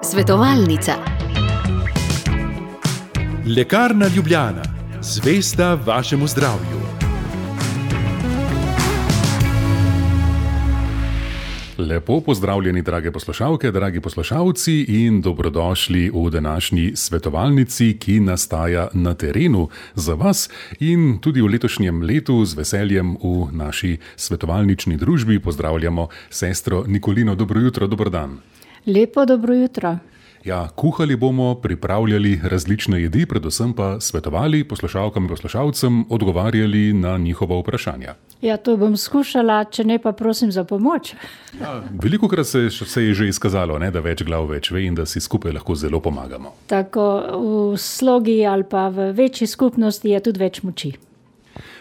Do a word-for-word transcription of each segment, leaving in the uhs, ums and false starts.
Svetovalnica. Lekarna Ljubljana, zvesta vašemu zdravju. Lepo pozdravljeni, drage poslušalke, dragi poslušalci, in dobrodošli v današnji svetovalnici, ki nastaja na terenu za vas in tudi v letošnjem letu z veseljem v naši svetovalnični družbi pozdravljamo sestro Nikolino. Dobro jutro, dober dan. Lepo dobro jutro. Ja, kuhali bomo, pripravljali različne jedi, predvsem pa svetovali poslušalkam in poslušalcem, odgovarjali na njihova vprašanja. Ja, to bom skušala, če ne pa prosim za pomoč. Ja, velikokrat se, se je že izkazalo, ne, da več glav več ve in da si skupaj lahko zelo pomagamo. Tako v slogi ali pa v večji skupnosti je tudi več moči.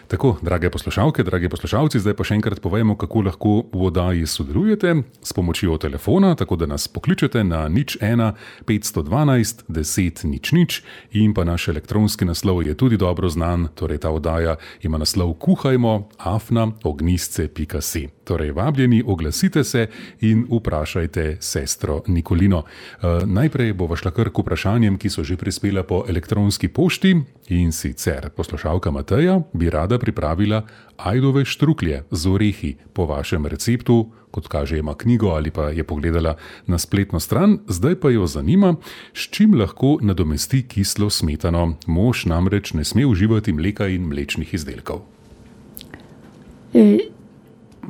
Tako, drage poslušalke, dragi poslušalci, zdaj pa še enkrat povemo, kako lahko v oddaji sodelujete s pomočjo telefona, tako da nas pokličete na nič ena petsto dvanajst deset nič nič in pa naš elektronski naslov je tudi dobro znan, torej ta oddaja ima naslov kuhajmo afna ognjisce pika si. Torej, vabljeni, oglasite se in vprašajte sestro Nikolino. E, najprej bova šla kar k vprašanjem, ki so že prispela po elektronski pošti, in sicer poslušalka Mateja bi rada pripravila ajdove štruklje z orehi po vašem receptu, kot kaže ima knjigo ali pa je pogledala na spletno stran, zdaj pa jo zanima, s čim lahko nadomesti kislo smetano. Mož namreč ne sme uživati mleka in mlečnih izdelkov. E,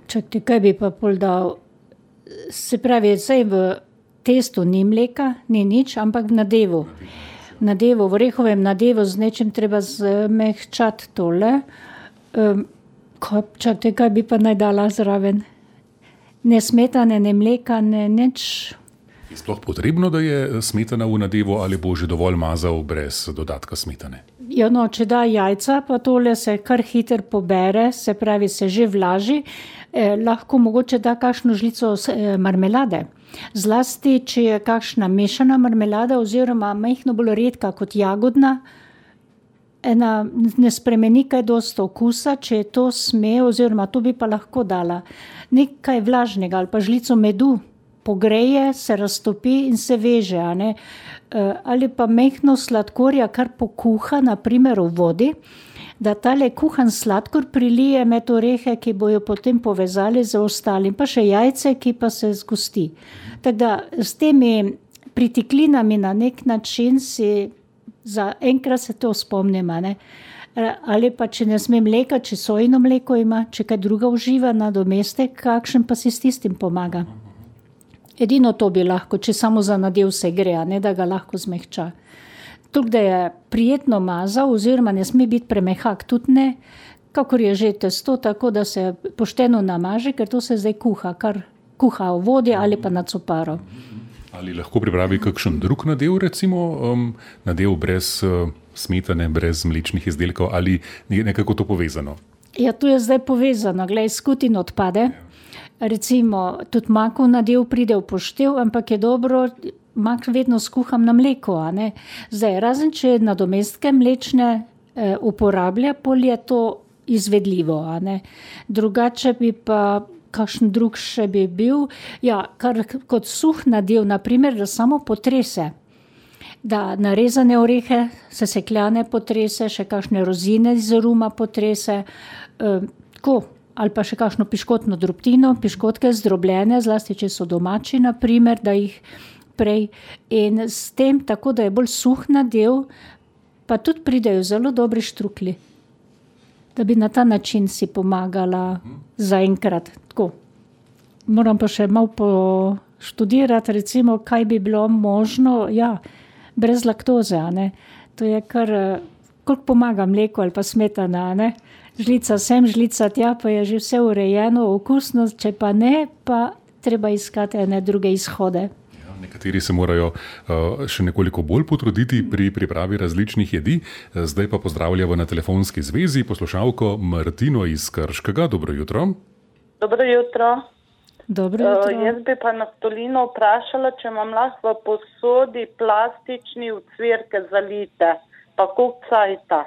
čakajte, kaj bi pa pol dal? Se pravi, saj v testu ni mleka, ni nič, ampak v nadevu. V nadevu, v orehovem nadevu z nečim treba zmehčati tole. Um, čakajte, kaj bi pa naj dala zraven? Ne smetane, ne mleka, ne nič. Je sploh potrebno, da je smetana v nadevu ali bo že dovolj mazal brez dodatka smetane? Ja, no, če da jajca, pa tole se kar hiter pobere, se pravi, se že vlaži. Eh, lahko mogoče da kakšno žlico eh, marmelade. Zlasti, če je kakšna mešana marmelada oziroma majhno bolj redka kot jagodna, ena ne spremeni kaj dosti okusa, če je to sme, oziroma to bi pa lahko dala. Nekaj vlažnega ali pa žlico medu pogreje, se raztopi in se veže, a ne? E, ali pa majhno sladkorja, kar pokuha, na primer v vodi, da tale kuhan sladkor prilije med orehe, ki bojo potem povezali z ostalim, pa še jajce, ki pa se zgosti. Tako da s temi pritiklinami na nek način si za enkrat se to spomnim, ne? Ali pa če ne sme mleka, če sojino mleko ima, če kaj druga uživa nadomestek, kakšen pa si s tistim pomaga. Edino to bi lahko, če samo za nadev se gre, ne da ga lahko zmehča. Tukaj, da je prijetno mazal, oziroma ne sme biti premehak, tudi ne, kakor je že testo, tako da se pošteno namaže, ker to se zdaj kuha, kar kuha v vodi ali pa na coparo. Ali lahko pripravi kakšen drug nadev, recimo um, nadev brez uh, smetane, brez mlečnih izdelkov, ali je nekako to povezano? Ja, to je zdaj povezano. Glej, skutin odpade. Recimo, tudi makov nadev pride v poštev, ampak je dobro, mak vedno skuham na mleko, a ne? Zdaj, razen če nadomestke mlečne eh, uporablja, pol je to izvedljivo, a ne? Drugače bi pa kakšen drug še bi bil, ja, kar kot suh nadev, na primer, da samo potrese, da narezane orehe, sesekljane potrese, še kakšne rozine iz ruma potrese, eh, tako, ali pa še kakšno piškotno drobtino, piškotke zdrobljene, zlasti če so domači, na primer, da jih prej. In s tem, tako da je bolj suh nadev, pa tudi pridejo zelo dobri štrukli, da bi na ta način si pomagala zaenkrat. Tako. Moram pa še malo poštudirati, recimo, kaj bi bilo možno, ja, brez laktoze, a ne. To je kar, koliko pomaga mleko ali pa smetana, a ne. Žlica sem, žlica tja, pa je že vse urejeno, okusno, če pa ne, pa treba iskati ene druge izhode. Nekateri se morajo uh, še nekoliko bolj potruditi pri pripravi različnih jedi. Zdaj pa pozdravljamo na telefonski zvezi poslušalko Martino iz Krškega. Dobro jutro. Dobro jutro. Dobro jutro. Uh, jaz bi pa Naftolino vprašala, če imam lahko v posodi plastični ocvirke zalite, pa koliko cajta.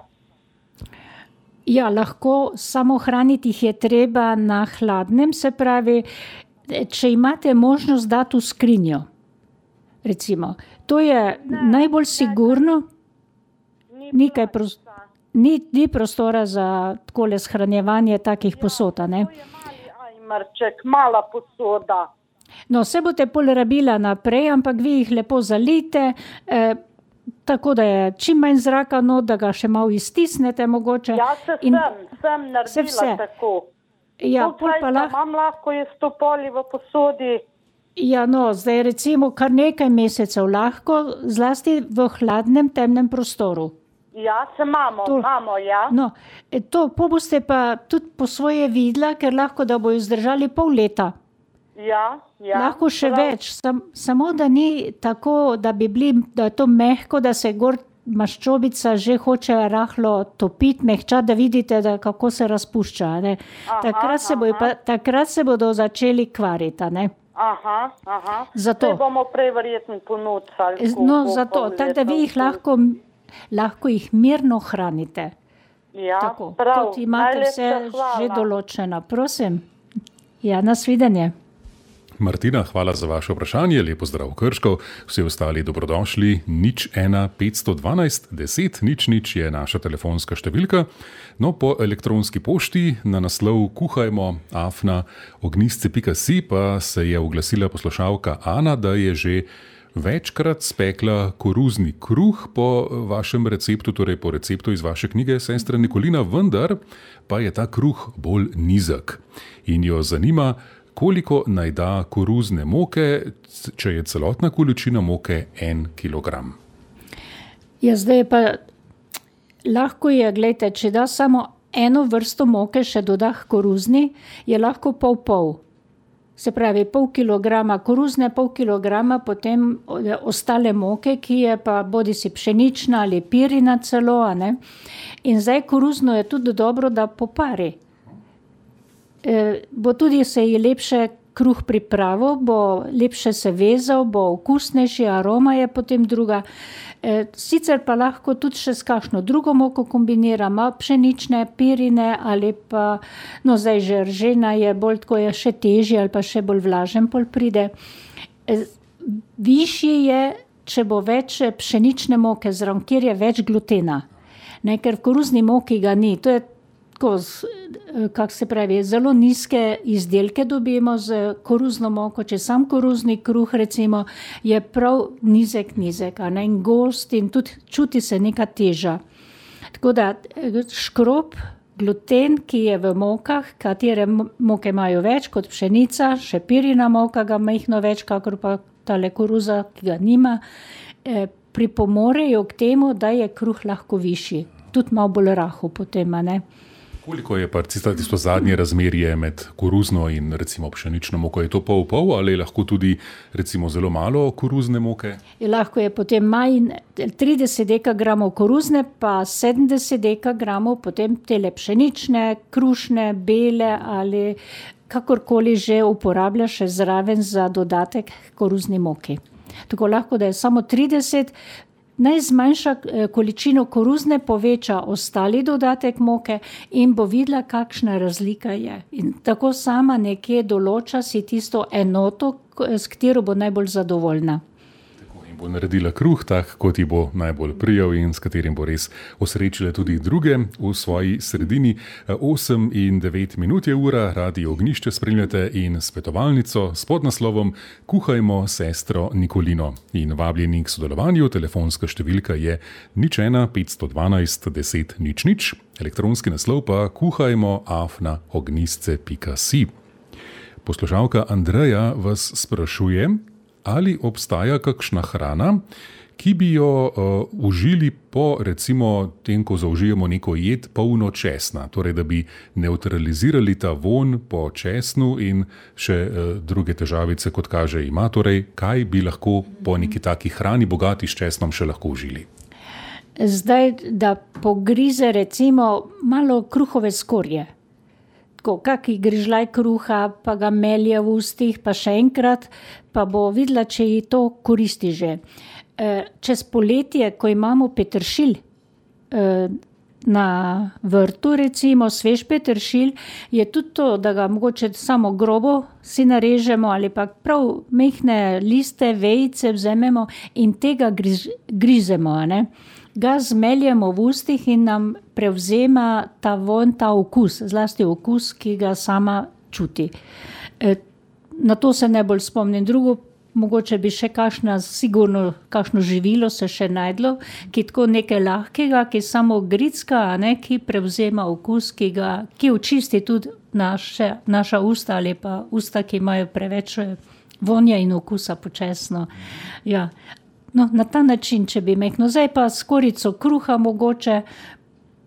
Ja, lahko, samo hraniti jih je treba na hladnem, se pravi, če imate možnost dati v skrinjo, recimo, to je ne, najbolj sigurno, Ni nekaj prostora. Ni, ni prostora za takole shranjevanje takih posod, a ne? To je mali ajmerček, mala posoda. No, se boste pol rabila naprej, ampak vi jih lepo zalijte, eh, tako da je čim manj zraka, no, da ga še malo iztisnete mogoče. Ja, se in, sem, sem naredila vse. tako. Ja, Koliko pol pa časa lahko, imam lahko je sto poli v posodi? ja, no, zdaj recimo kar nekaj mesecev lahko, zlasti v hladnem, temnem prostoru. Ja, se imamo, To- imamo, ja. No, e, to po boste pa tudi po svoje videla, ker lahko da bojo zdržali pol leta. Ja, ja. Lahko še Prav. več, sam, samo da ni tako, da bi bili, da je to mehko, da se gor maščobica že hoče rahlo topiti, mehča, da vidite, da kako se razpušča. a Ne? Aha, Takrat, se bojo pa, takrat se bodo začeli kvariti. a Ne? Aha, aha. Zato. Saj bomo prej verjetno ponudili. No, zato, tako da vi jih lahko, lahko jih mirno hranite. Ja, Tako, prav. kot imate Najlepša vse hvala. že določeno. Prosim. Ja, nasvidenje. Martina, hvala za vaše vprašanje, lepo zdrav Krško, vsi ostali dobrodošli, nič ena petsto dvanajst deset nič nič je naša telefonska številka, no po elektronski pošti na naslov kuhajmo afna ognistce pika si pa se je oglasila poslušalka Ana, da je že večkrat spekla koruzni kruh po vašem receptu, torej po receptu iz vaše knjige Sestra Nikolina, vendar pa je ta kruh bolj nizek in jo zanima, koliko naj da koruzne moke, če je celotna količina moke en kilogram. Ja, zdaj pa lahko je, gledajte, če da samo eno vrsto moke še doda k koruzni, je lahko pol pol. Se pravi, pol kilograma koruzne, pol kilograma potem ostale moke, ki je pa bodi si pšenična ali pirina celo, a ne. In zdaj koruzno je tudi dobro, da popari. E, bo tudi se ji lepše kruh pripravil, bo lepše se vezal, bo okusnejši, aroma je potem druga. E, sicer pa lahko tudi še s kakšno drugo moko kombinira, malo pšenične, pirine ali pa, no zdaj že ržena je bolj tako, je še težji ali pa še bolj vlažen pol pride. E, višji je, če bo več pšenične moke zraven, kjer je več glutena. Ne, ker v koruzni moki ga ni, to je kako se pravi, zelo nizke izdelke dobimo z koruzno moko, če sam koruzni kruh recimo je prav nizek, nizek, a ne, in gost in tudi čuti se neka teža. Tako da škrob, gluten, ki je v mokah, katere moke imajo več kot pšenica, še pirina moka ga majhno več, kakor pa tale koruza, ki ga nima, eh, pripomorejo k temu, da je kruh lahko višji. Tudi malo bolj rahel potem, a ne. Koliko je pa tisto zadnje razmerje med koruzno in recimo pšenično moko? Je to pol pol ali lahko tudi recimo zelo malo koruzne moke? Je lahko je potem manj trideset dekagramov koruzne, pa sedemdeset dekagramov potem tele pšenične, krušne, bele ali kakorkoli že uporablja še zraven za dodatek koruzni moki. Tako lahko, da je samo trideset. Naj zmanjša količino koruzne, poveča ostali dodatek moke in bo videla, kakšna razlika je. In tako sama nekje določa si tisto enoto, s katero bo najbolj zadovoljna. In bo naredila kruh tak, kot ji bo najbolj prijel in s katerim bo res osrečila tudi druge v svoji sredini. osem in devet minut je ura, Radio Ognjišče spremljate in svetovalnico s podnaslovom Kuhajmo sestro Nikolino. In vabljeni k sodelovanju, telefonska številka je nič ena petsto dvanajst deset nič nič, elektronski naslov pa kuhajmo afna ognistce pika si. Poslušalka Andreja vas sprašuje, ali obstaja kakšna hrana, ki bi jo uh, užili po recimo tem, ko zaužijemo neko jed polno česna, torej da bi neutralizirali ta vonj po česnu in še uh, druge težavice, kot kaže ima. Torej, kaj bi lahko po neki taki hrani bogati s česnom še lahko užili? Zdaj, da pogrize recimo malo kruhove skorje. Tako, kaki grižljaj kruha, pa ga melje v ustih, pa še enkrat, pa bo videla, če ji to koristi že. Čez poletje, ko imamo peteršilj, na vrtu, recimo svež peteršilj, je tudi to, da ga mogoče samo grobo si narežemo ali pa prav mehne liste, vejice vzamemo in tega griž, grizemo, ne. Ga zmeljemo v ustih in nam prevzema ta vonj, ta okus, zlasti okus, ki ga sama čuti. E, na to se najbolj spomnim. Drugo, mogoče bi še kakšna, sigurno kakšno živilo se še najdlo, ki tako nekaj lahkega, ki samo gricka, ne, ki prevzema okus, ki ga, ki očisti tudi naše, naša usta ali pa usta, ki imajo preveč vonja in okusa počasno. Ja. No, na ta način, če bi mehno. Zdaj pa skorico kruha mogoče,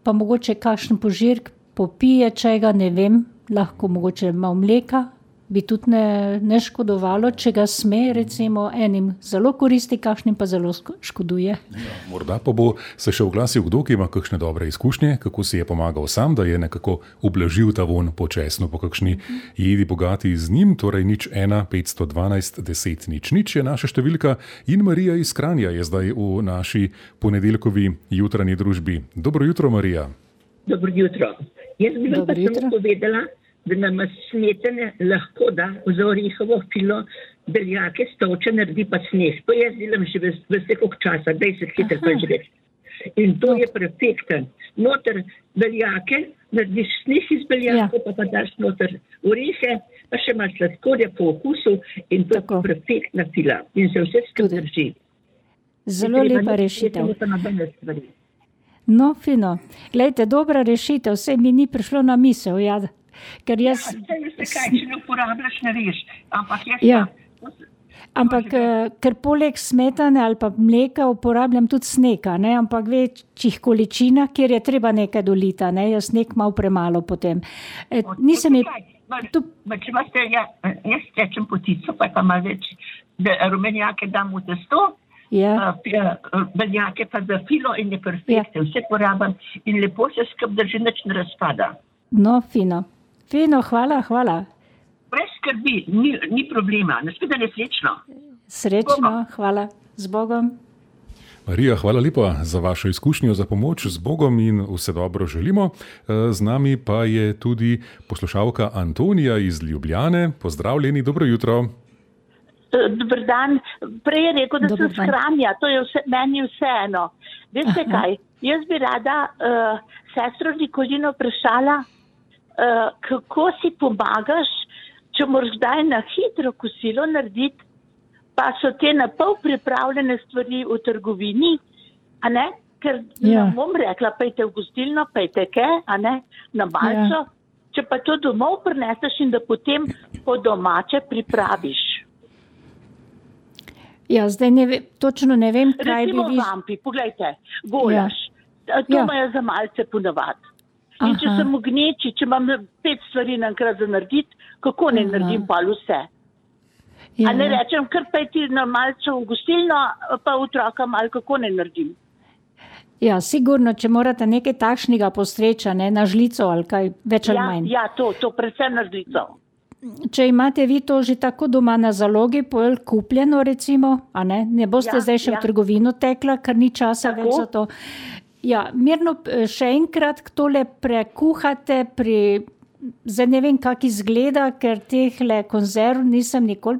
pa mogoče kakšen požirk popije čega, ne vem, lahko mogoče malo mleka, bi tudi ne, ne škodovalo, če ga sme, recimo enim zelo koristi, kakšnim pa zelo škoduje. Ja, morda pa bo se še oglasil kdo, ki ima kakšne dobre izkušnje, kako si je pomagal sam, da je nekako ublažil ta von počasno po kakšni jedi bogati z njim, torej nič ena, petsto dvanajst, deset, nič, nič je naša številka in Marija iz Kranja je zdaj v naši ponedeljkovi jutranji družbi. Dobro jutro, Marija. Dobro jutro. Jaz bi vam pa samo povedala, da nam smetane lahko da za orehovo filo beljake stolče naredi pa sneh. To jaz delam že vse koliko časa, dvajset hitro pa že več. In to je perfekten. Noter beljake, narediš sneh iz beljakov, ja. pa pa daš noter orehe, pa še malo sladkorja po okusu in to je perfektna fila. In se vse skupaj drži. Zelo lepa rešitev. No, fino. Glejte, dobra rešitev, vse mi ni prišlo na misel, ja. Ker jaz... Ja, vse kaj, če ne uporabljaš, ne veš. Ampak jaz ja. pa... Ampak, ker poleg smetane ali pa mleka uporabljam tudi snega, ne, ampak večjih količinah, kjer je treba nekaj dolita, ne, jaz sneg malo premalo potem. E, nisem je... Tu... Če imate, ja, jaz tečem potico, pa je pa malo več, da rumenjake dam v testo, ja. beljake pa za filo in je perfektno, ja. vse porabam in lepo se skup drži, nič ne razpada. No, fino. Fino, hvala, hvala. Brez skrbi, ni, ni problema. Naslednje nesrečno. Srečno, hvala. Z Bogom. Marija, hvala lepa za vašo izkušnjo, za pomoč. Z Bogom in vse dobro želimo. Z nami pa je tudi poslušalka Antonija iz Ljubljane. Pozdravljeni, dobro jutro. Dobar dan. Prej je rekel, da sem shranja. To je vse, meni vseeno. Veste kaj? Jaz bi rada uh, sestro Nikolino vprašala, uh, kako si pomagaš, če moraš kdaj na hitro kosilo narediti, pa so te na pol pripravljene stvari v trgovini, a ne? Ker ja. ne bom rekla, pejte v gostilno, pejte ke, a ne? Na malco. Ja. Če pa to domov prineseš in da potem po domače pripraviš. Ja, zdaj ne ve, točno ne vem, kaj Recimo bi vi... Recimo vampi, poglejte, golaš. Ja. To ja. imajo za malce ponavadi. In Aha. če sem v gneči, če imam pet stvari naenkrat za narediti, kako ne Aha. naredim pa vse? Ja. A ne rečem, kar pejti na malce v gostilno, pa otroka malo, kako ne naredim? Ja, sigurno, če morate nekaj takšnega postreča, ne, na žlico ali kaj, več ali ja, manj. Ja, to, to predvsem na žlico. Če imate vi to že tako doma na zalogi, pol kupljeno recimo, a ne, ne boste ja, zdaj še ja. v trgovino tekla, ker ni časa tako? več za to. Ja, mirno še enkrat tole prekuhate pri, zdaj ne vem, kak izgleda, ker tehle konzerv nisem nikoli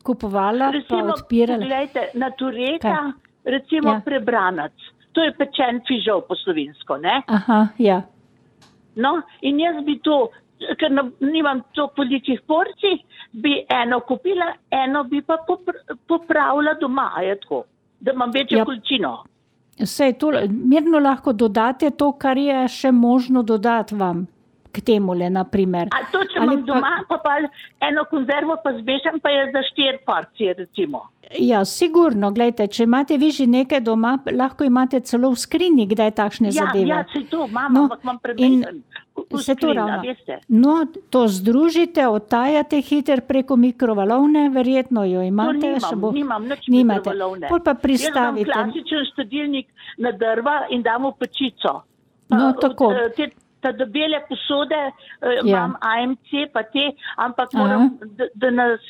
kupovala, recimo, pa odpirala. Recimo, na tureta, recimo ja. prebranac. To je pečen fižol po slovensko, ne? Aha, ja. No, in jaz bi to, ker nimam to velikih porcij, bi eno kupila, eno bi pa popravila doma, je tako, da imam večjo ja. količino. Sej, to, mirno lahko dodate to, kar je še možno dodati vam k temule, na primer. A to, če imam doma, pa, pa eno konzervo pa zmešam, pa je za štiri porcije, recimo. Ja, sigurno, gledajte, če imate vi že nekaj doma, lahko imate celo v skrinji, kdaj takšne ja, zadeve. Ja, se to, mama, ampak no, imam prebeten v skrinja, veste. No, to združite, odtajate hiter preko mikrovalovne, verjetno jo imate. To nimam, bo, nimam, nič nimate. mikrovalovne. Pol pa pristavite. Jaz imam klasičen štedilnik na drva in dam v pečico. No, tako. Te ta dobele posode, Ja. imam A M C pa te, ampak moram, da, da nas,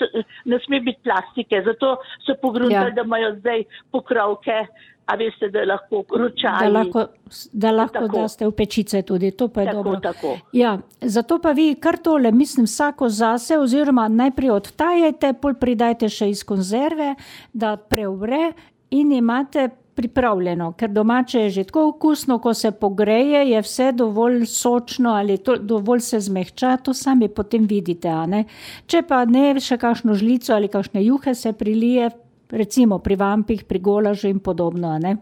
ne sme biti plastike, zato so pogruntali, Ja. da imajo zdaj pokrovke, a veste, da lahko Da ročaji. lahko, da lahko Tako. daste v pečice tudi, to pa je Tako, dobro. tako. Ja, zato pa vi kar tole, mislim, vsako zase, oziroma najprej odtajajte, pol pridajte še iz konzerve, da preuvre in imate pripravljeno, ker domače je že tako okusno, ko se pogreje, je vse dovolj sočno ali to, dovolj se zmehča, to sami potem vidite, a ne. Če pa ne, še kakšno žlico ali kakšne juhe se prilije, recimo pri vampih, pri golažu in podobno, a ne.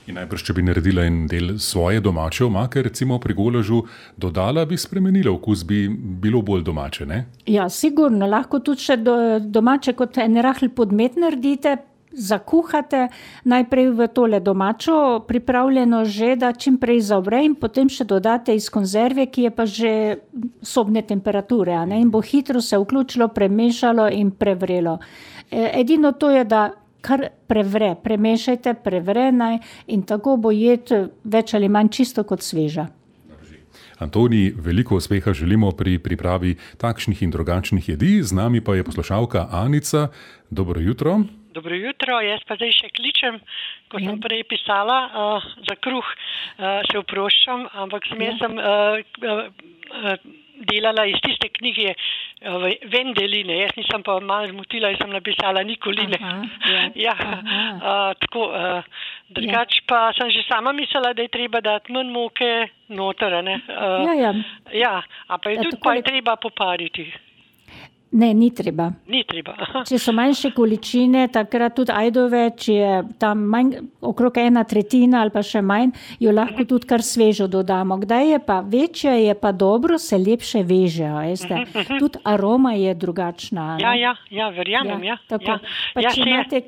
In najbrž, če bi naredila en del svoje domače omake, recimo pri golažu, dodala bi spremenila okus, bi bilo bolj domače, ne? Ja, sigurno, lahko tudi še do, domače kot en rahl podmet naredite, zakuhate najprej v tole domačo pripravljeno že, da čim prej zavre in potem še dodate iz konzerve, ki je pa že sobne temperature, a ne, in bo hitro se vključilo, premešalo in prevrelo. E, edino to je, da kar prevre, premešajte, prevre naj in tako bo jed več ali manj čisto kot sveža. Antoni, veliko uspeha želimo pri pripravi takšnih in drugačnih jedi, z nami pa je poslušalka Anica. Dobro jutro. Dobro jutro, jaz pa zdaj še kličem, ko sem prej pisala uh, za kruh, uh, se oproščam, ampak sem jaz sem uh, uh, delala iz tiste knjige uh, Vendeline, jaz nisem pa malo zmotila in sem napisala Nikoline. Aha, ja. ja, uh, tako, uh, drugač ja. Pa sem že sama mislila, da je treba dati manj moke noter, ne? Uh, Ja, ja. ja, a pa je Ja, tudi tako pa je- je treba popariti. Ne, ni treba. Ni treba. Aha. Če so manjše količine, takrat tudi ajdove, če je tam manj, okrog ena tretjina ali pa še manj, jo lahko tudi kar svežo dodamo. Kdaj je pa večja, je pa dobro, se lepše veže, a veste. Tudi aroma je drugačna. a ne? Ja, ja, ja, verjamem, ja. Tako. ja. Pa ja, če se je- imate,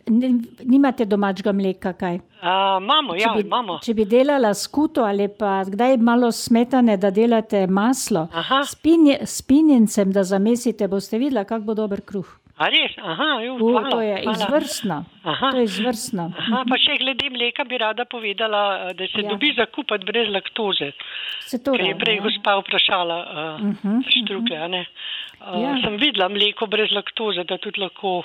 ne, nimate domačega mleka, kaj? A, imamo, ja, če, bi, imamo. če bi delala skuto ali pa kdaj malo smetane, da delate maslo, Aha. s pinje- s pinjencem, da zamesite, boste videla, kak bo dober kruh. A res? Aha, jo, U, hvala. to je hvala. izvrstno. Aha. To je izvrstno. Aha, pa še glede mleka bi rada povedala, da se Ja. dobi zakupati brez laktoze. Se to Ker je da, prej ja. gospa vprašala uh, Mhm, štrukle, a ne? Uh, Ja. Sem videla mleko brez laktoze, da tudi lahko...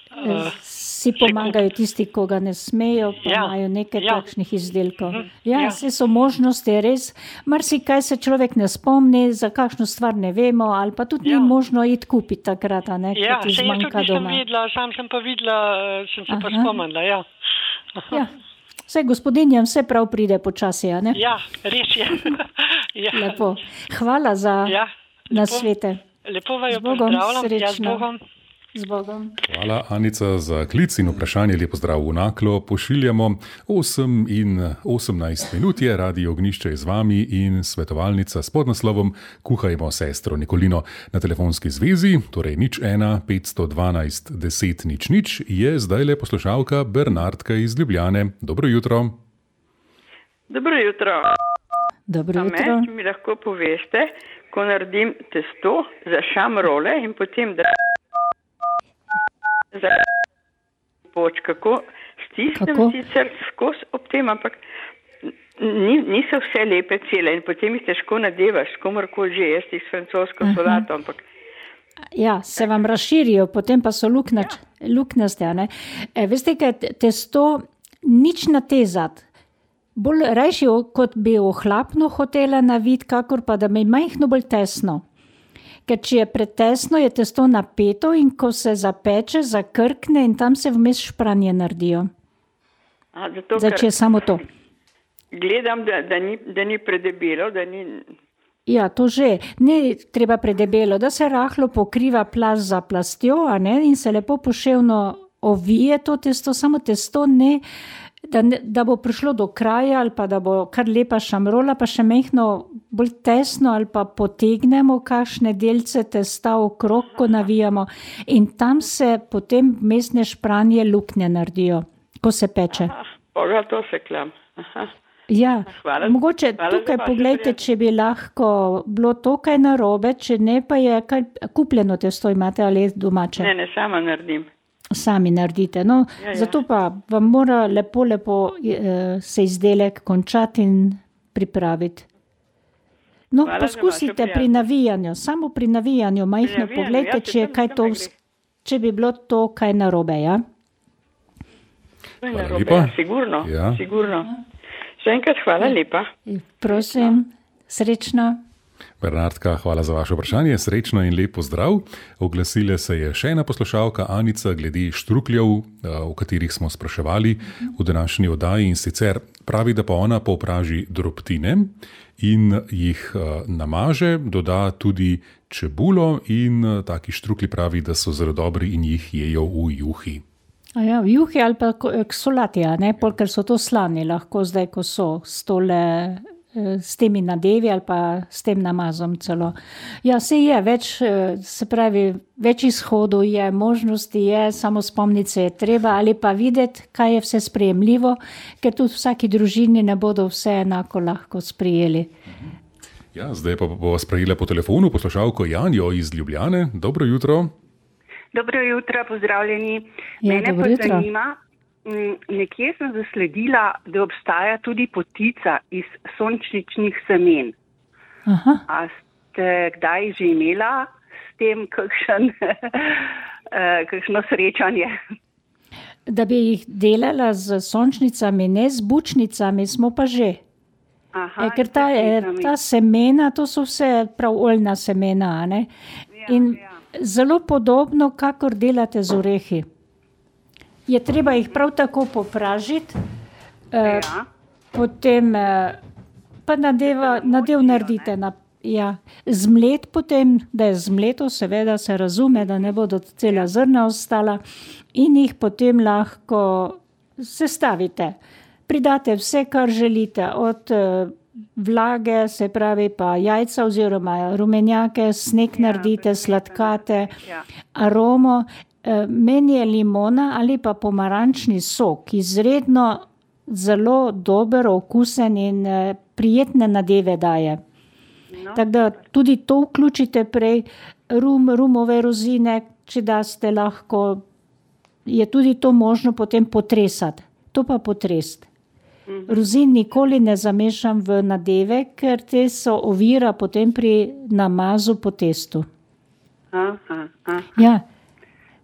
Uh, Si pomagajo tisti, ko ga ne smejo, pa Ja, imajo nekaj ja. takšnih izdelkov. Mhm, Ja, ja. vse so možnosti, res. Marsikaj se človek ne spomni, za kakšno stvar ne vemo, ali pa tudi Ja. ni možno iti kupiti takrat, a ne, ja, ko ti se jaz tudi zmanjka nisem doma. videla, sam sem pa videla, uh, sem se pa Aha. spomnila, ja. Aha. Ja. Vse gospodinjam vse prav pride počasi, a ne? Ja, res je. ja. Lepo. Hvala za Ja, lepo. nasvete. Lepo vaju Z Bogom, pozdravljam. Ja, z srečno. Bogom. Z Bogom. Hvala, Anica, za klic in vprašanje. Lep pozdrav v Naklo. Pošiljamo osem in osemnajst minut je, Radio Ognjišče je z vami in svetovalnica s podnaslovom Kuhajmo sestro Nikolino na telefonski zvezi, torej nič ena petsto dvanajst deset nič nič, je zdaj le poslušalka Bernardka iz Ljubljane. Dobro jutro. Dobro jutro. Dobro A me, jutro. če mi lahko poveste, ko naredim testo za šamrole in potem da za poč, kako stisnem Kako? sicer skozi ob tem, ampak ni, niso vse lepe cele in potem jih težko nadevaš, komorkoli že, jaz jih s francosko solato, ampak Ja, se vam razširijo, potem pa so luknač, luknjaste, a ne. E, veste, kaj te- testo nič natezati. Bolj rajši, o- kot bi ohlapno hotela naviti, kakor pa da mi je majhno bolj tesno. Ker če je pretesno, je testo napeto in ko se zapeče, zakrkne in tam se vmes špranje naredijo. a, zato, Zdaj, ker če je samo to. gledam, da, da, ni, da ni predebelo, da ni... Ja, to že. Ne treba predebelo, da se rahlo pokriva plast za plastjo, a ne, in se lepo poševno ovije to testo, samo testo ne, da, ne, da bo prišlo do kraja ali pa da bo kar lepa šamrola, pa še mehno bolj tesno ali pa potegnemo kakšne delce testa okrog, ko navijamo in tam se potem vmesne špranje luknje naredijo, ko se peče. Ah, Boga, to se klam. Aha. Ja, Hvala- mogoče hvala za tukaj vaše poglejte, prijatelje. če bi lahko bilo to kaj narobe, če ne pa je kaj kupljeno testo imate ali domače. Ne, ne, sama naredim. Sami naredite. No, Ja, ja. zato pa vam mora lepo, lepo eh, se izdelek končati in pripraviti. No, poskusite pri navijanju, samo pri navijanju, majhno pogledajte, če je kaj to, če bi bilo to kaj narobe, ja? Hvala lepa. Sigurno, ja. sigurno. Še enkrat hvala lepa. Prosim, srečno. Bernardka, hvala za vaše vprašanje, srečno in lep pozdrav. Oglasila se je še ena poslušalka, Anica, glede štrukljev, o katerih smo spraševali v današnji oddaji, in sicer pravi, da pa ona popraži drobtine in jih namaže, doda tudi čebulo in taki štrukli pravi, da so zelo dobri in jih jejo v juhi. A ja, v juhi ali pa k solati, ne, ker so to slani lahko zdaj, ko so stole s temi nadevi ali pa s tem namazom celo. Ja, se je več, se pravi, več izhodov je, možnosti je, samo spomniti se je treba ali pa videti, kaj je vse sprejemljivo, ker tudi v vsaki družini ne bodo vse enako lahko sprejeli. Ja, zdaj pa bo sprejela po telefonu poslušalko Janjo iz Ljubljane. Dobro jutro. Dobro jutro, pozdravljeni. Ja, Mene dobro pa jutro. zanima, nekje sem zasledila, da obstaja tudi potica iz sončničnih semen. Aha. A ste kdaj že imela s tem kakšen, kakšno srečanje? Da bi jih delala z sončnicami, ne z bučnicami, smo pa že. Aha, E, ker ta, ta semena, to so vse prav oljna semena, ne? Ja, In ja. zelo podobno, kakor delate z orehi. Je treba jih prav tako popražiti, eh, Ja. potem eh, pa nadeva, nadev naredite, na, ja, zmlet potem, da je zmleto, seveda se razume, da ne bodo cela zrna ostala, in jih potem lahko sestavite. Pridate vse, kar želite, od eh, vlage, se pravi pa jajca oziroma rumenjake, sneg Ja, naredite, presnežene. sladkate, Ja. aromo. Eh, Meni je limona ali pa pomarančni sok izredno zelo dober, okusen in eh, prijetne nadeve daje. No, Tako da tudi to vključite prej, rum, rumove rozine, če daste lahko, je tudi to možno potem potresati. To pa potresti. Rozin nikoli ne zamešam v nadeve, ker te so ovira potem pri namazu po testu. aha, aha. Ja,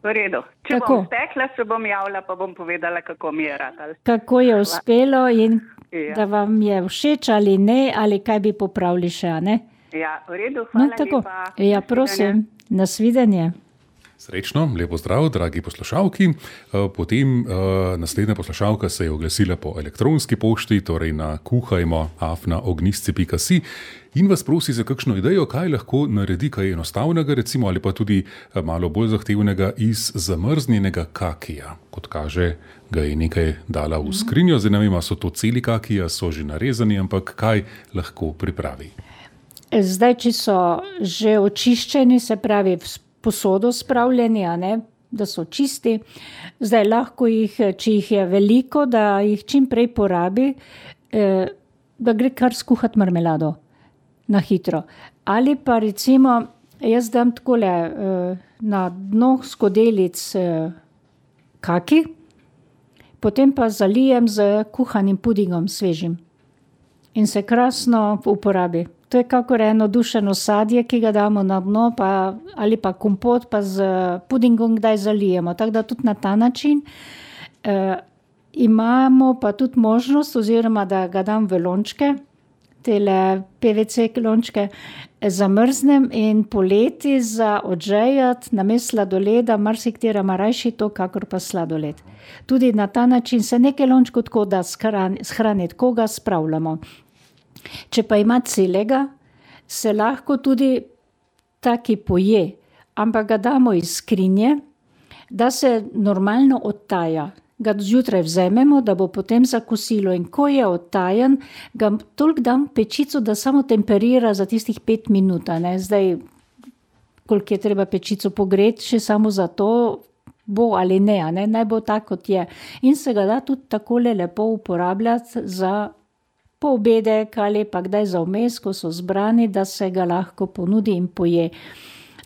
V redu. Če Tako. bom stekla, se bom javila, pa bom povedala, kako mi je ratalo. kako je uspelo in Ja. da vam je všeč ali ne, ali kaj bi popravili še, a ne? Ja, v redu, No, hvala tako. lepa. Ja, Nasvidenje. prosim, nasvidenje. Srečno, lepo zdrav, dragi poslušalki. Eh, Potem eh, naslednja poslušalka se je oglasila po elektronski pošti, torej na kuhajmo afna ognjisci pika si, in vas prosi za kakšno idejo, kaj lahko naredi kaj enostavnega, recimo, ali pa tudi eh, malo bolj zahtevnega iz zamrznjenega kakija. Kot kaže, ga je nekaj dala v skrinjo, zdaj ne vem, a so to celi kakiji, a so že narezani, ampak kaj lahko pripravi. Zdaj, če so že očiščeni, se pravi v posodo spravljeni, a ne, da so čisti, zdaj lahko jih, če jih je veliko, da jih čim prej porabi, eh, da gre kar skuhati marmelado na hitro. Ali pa recimo, jaz dam takole eh, na dno skodelic eh, kaki, potem pa zalijem z kuhanim pudingom svežim in se krasno uporabi. To je kakor eno dušeno sadje, ki ga damo na dno, pa, ali pa kompot, pa z pudingom kdaj zalijemo. Tako da tudi na ta način eh, imamo pa tudi možnost, oziroma da ga dam v lončke, tele P V C lončke, eh, zamrznem in poleti za odžejati namesto sladoleda, marsikatera ima rajši to, kakor pa sladoled. Tudi na ta način se nekaj lončkov tako da shraniti, ko ga spravljamo. Če pa ima celega, se lahko tudi taki poje, ampak ga damo iz skrinje, da se normalno odtaja. Ga zjutraj vzamemo, da bo potem za kosilo, in ko je odtajen, ga toliko dam v pečico, da samo temperira za tistih pet minut. Ne? Zdaj, koliko je treba pečico pogreti, še samo za to bo ali ne, a ne? Naj bo tako, kot je. In se ga da tudi takole lepo uporabljati za poobedek ali pa kdaj za vmes, ko so zbrani, da se ga lahko ponudi in poje.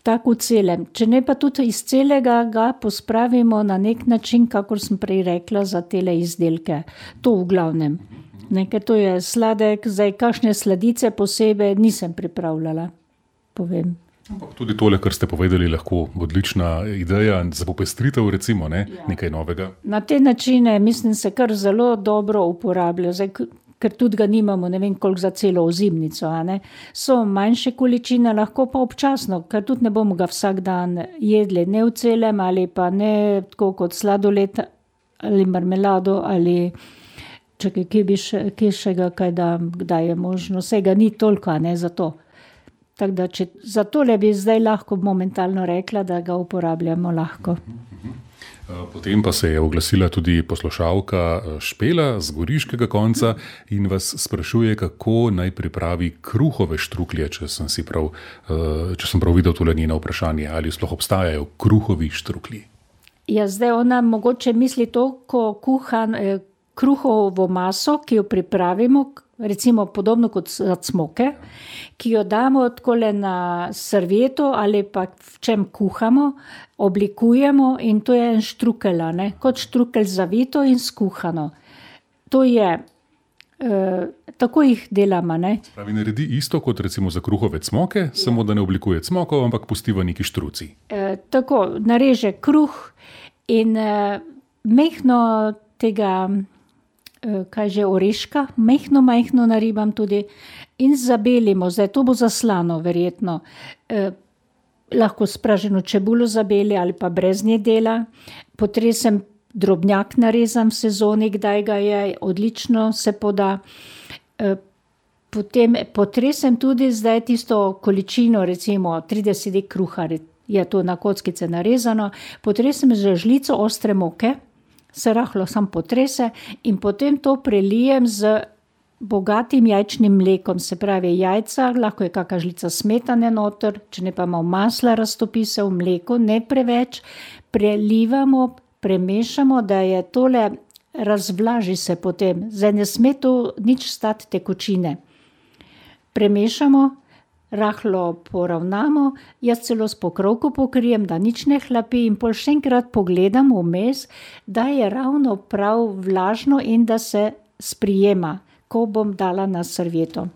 Tako v celem. Če ne pa tudi iz celega, ga pospravimo na nek način, kakor sem prej rekla, za tele izdelke. To v glavnem. Ne, ker to je sladek, zdaj kakšne sladice posebej nisem pripravljala, povem. Tudi tole, kar ste povedali, lahko odlična ideja za popestritev, recimo, ne? Ja. Nekaj novega. Na te načine, mislim, se kar zelo dobro uporablja, zdaj, ker tudi ga nimamo, ne vem koliko za celo ozimnico, a ne. So manjše količine, lahko pa občasno, ker tudi ne bomo ga vsak dan jedli, ne v celem ali pa ne tako kot sladoled ali marmelado ali čakaj, kje bi še, kje še ga kaj dam, kdaj je možno, vse ga ni toliko, a ne za to. Tako da, če za tole bi zdaj lahko momentalno rekla, da ga uporabljamo lahko. Potem pa se je oglasila tudi poslušalka Špela z goriškega konca in vas sprašuje, kako naj pripravi kruhove štruklje, če sem si prav, če sem prav videl tole njeno vprašanje, ali sploh obstajajo kruhovi štruklji. Ja, zdaj ona mogoče misli to, ko kuhan eh, kruhovo maso, ki jo pripravimo, recimo podobno kot za cmoke, ki jo damo takole na servieto ali pa v čem kuhamo, oblikujemo in to je en štrukelj, ne, kot štrukelj zavito in skuhano. To je, eh, tako jih delamo, ne. Pravi, naredi isto kot recimo za kruhove cmoke, ja. Samo da ne oblikuje cmokov, ampak pusti v neki štruci. Eh, tako, nareže kruh in eh, mehno tega, kaj že, oreška, mehno, mehno naribam tudi in zabelimo, zdaj to bo zaslano verjetno, eh, lahko spraženo čebulo zabeli ali pa brez nje dela, potresem drobnjak narezam v sezoni, kdaj ga je, odlično se poda, eh, potem potresem tudi zdaj tisto količino, recimo trideset dek kruha, je to na kockice narezano, potresem z žlico ostre moke, se rahlo sam potrese in potem to prelijem z bogatim jajčnim mlekom, se pravi jajca, lahko je kakšna žlica smetane noter, če ne pa malo masla raztopi se v mleku, ne preveč, prelivamo, premešamo, da je tole, razvlaži se potem, zdaj ne sme to nič stati tekočine. Premešamo, rahlo poravnamo, jaz celo s pokrovko pokrijem, da nič ne hlapi in pol še enkrat pogledam vmes, da je ravno prav vlažno in da se sprijema, ko bom dala na servieto.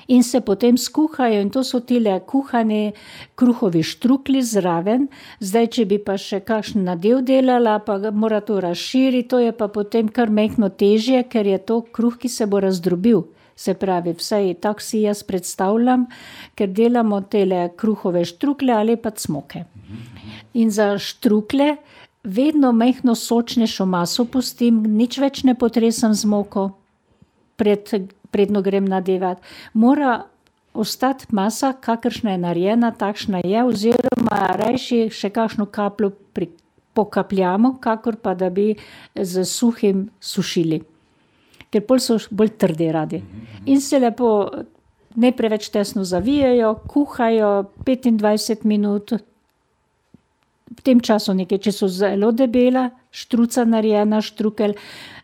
In se potem skuhajo in to so tile kuhani kruhovi štruklji zraven, zdaj, če bi pa še kakšen nadev delala, pa mora to razširiti, to je pa potem kar mehno težje, ker je to kruh, ki se bo razdrobil. Se pravi, vsaj tako si jaz predstavljam, ker delamo tele kruhove štrukle ali pa cmoke. In za štrukle vedno mehno sočnejšo maso pustim, nič več ne potresam z moko, pred, predno grem nadevat. Mora ostati masa, kakršna je narejena, takšna je, oziroma rajši še kakšno kapljo pri, pokapljamo, kakor pa da bi z suhim sušili. Ker pol so bolj trdi radi. In se lepo, ne preveč tesno zavijajo, kuhajo petindvajset minut, v tem času nekaj, če so zelo debela, štruca narejena, štrukelj,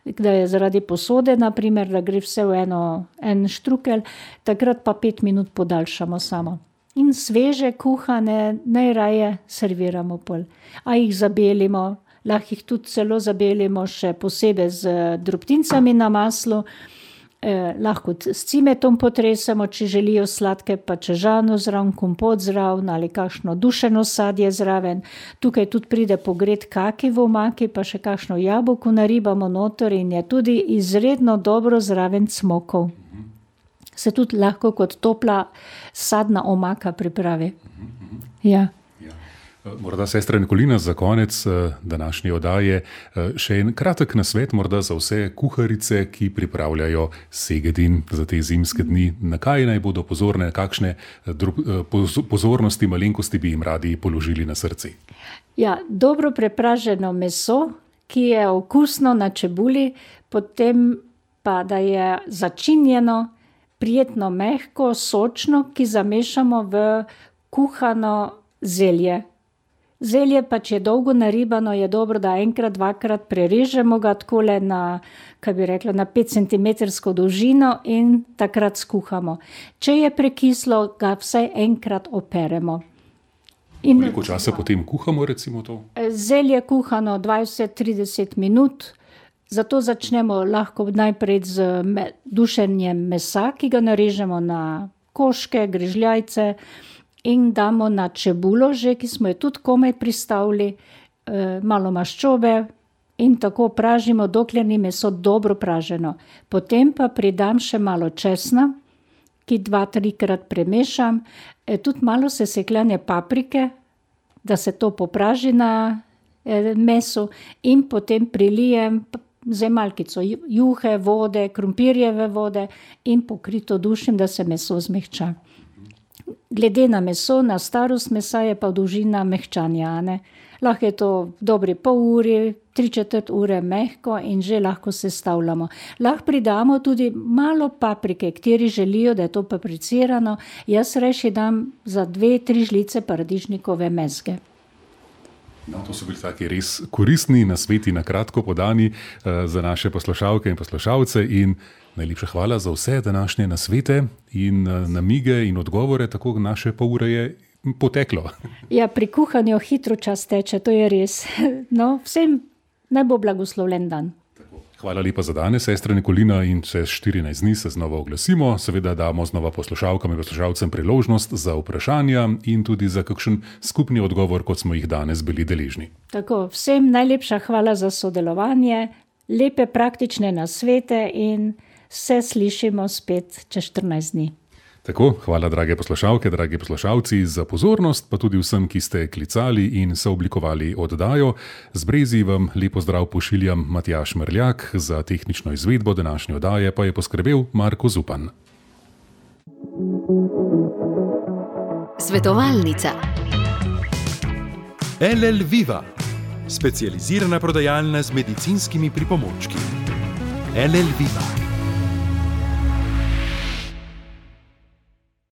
da je zaradi posode, naprimer, da gre vse v eno, en štrukelj, takrat pa pet minut podaljšamo samo. In sveže, kuhane, najraje serviramo pol. A jih zabelimo, lahko jih tudi celo zabelimo še posebej z drobtincami na maslu, eh, lahko s cimetom potresemo, če želijo sladke, pa čežano zraven, kompot zraven ali kakšno dušeno sadje zraven. Tukaj tudi pride pogret kaki v omaki, pa še kakšno jabolko naribamo noter in je tudi izredno dobro zraven cmokov. Se tudi lahko kot topla sadna omaka pripravi. Ja. Morda, sestra Nikolina, za konec današnje oddaje še en kratek nasvet morda za vse kuharice, ki pripravljajo segedin za te zimske dni. Na kaj naj bodo pozorne, kakšne pozornosti, malenkosti bi jim radi položili na srce? Ja, dobro prepraženo meso, ki je okusno na čebuli, potem pa da je začinjeno, prijetno mehko, sočno, ki zamešamo v kuhano zelje. Zelje pa, če je dolgo naribano, je dobro, da enkrat, dvakrat prerežemo ga takole na, kaj bi rekla, na pet centimetrsko dolžino in takrat skuhamo. Če je prekislo, ga vsaj enkrat operemo. In koliko časa potem kuhamo, recimo to? Zelje kuhano dvajset do trideset minut, Zato začnemo lahko najprej z dušenjem mesa, ki ga narežemo na koške, grižljajce in damo na čebulo že, ki smo jo tudi komaj pristavili, malo maščobe in tako pražimo, dokler ni meso dobro praženo. Potem pa pridam še malo česna, ki dva, trikrat premešam, tudi malo sesekljane paprike, da se to popraži na mesu in potem prilijem z malkico juhe, vode, krompirjeve vode in pokrito dušim, da se meso zmehča. Glede na meso, na starost mesa je pa dolžina mehčanja, ne. Lahko je to dobri pol uri, tri četrt ure mehko in že lahko sestavljamo. Lahko pridamo tudi malo paprike, kateri želijo, da je to papricirano. Jaz reši dam za dve, tri žlice paradižnikove mezge. No, to so bili taki res koristni nasveti, na kratko podani uh, za naše poslušalke in poslušalce in najlepša hvala za vse današnje nasvete in uh, namige in odgovore, tako naše pol ure je poteklo. Ja, pri kuhanju hitro čas teče, to je res. No, vsem naj bo blagoslovljen dan. Hvala lepa za danes, sestra Nikolina, in čez štirinajst dni se znova oglasimo. Seveda damo znova poslušalkam in poslušalcem priložnost za vprašanja in tudi za kakšen skupni odgovor, kot smo jih danes bili deležni. Tako, vsem najlepša hvala za sodelovanje, lepe praktične nasvete in se slišimo spet čez štirinajst dni. Tako, hvala drage poslušalke, dragi poslušalci za pozornost, pa tudi vsem, ki ste klicali in sooblikovali oddajo. Z Brezi vam lepo zdrav pošiljam Matjaž Merljak, za tehnično izvedbo današnje oddaje pa je poskrbel Marko Zupan. Svetovalnica L L Viva, specializirana prodajalna z medicinskimi pripomočki. L L Viva.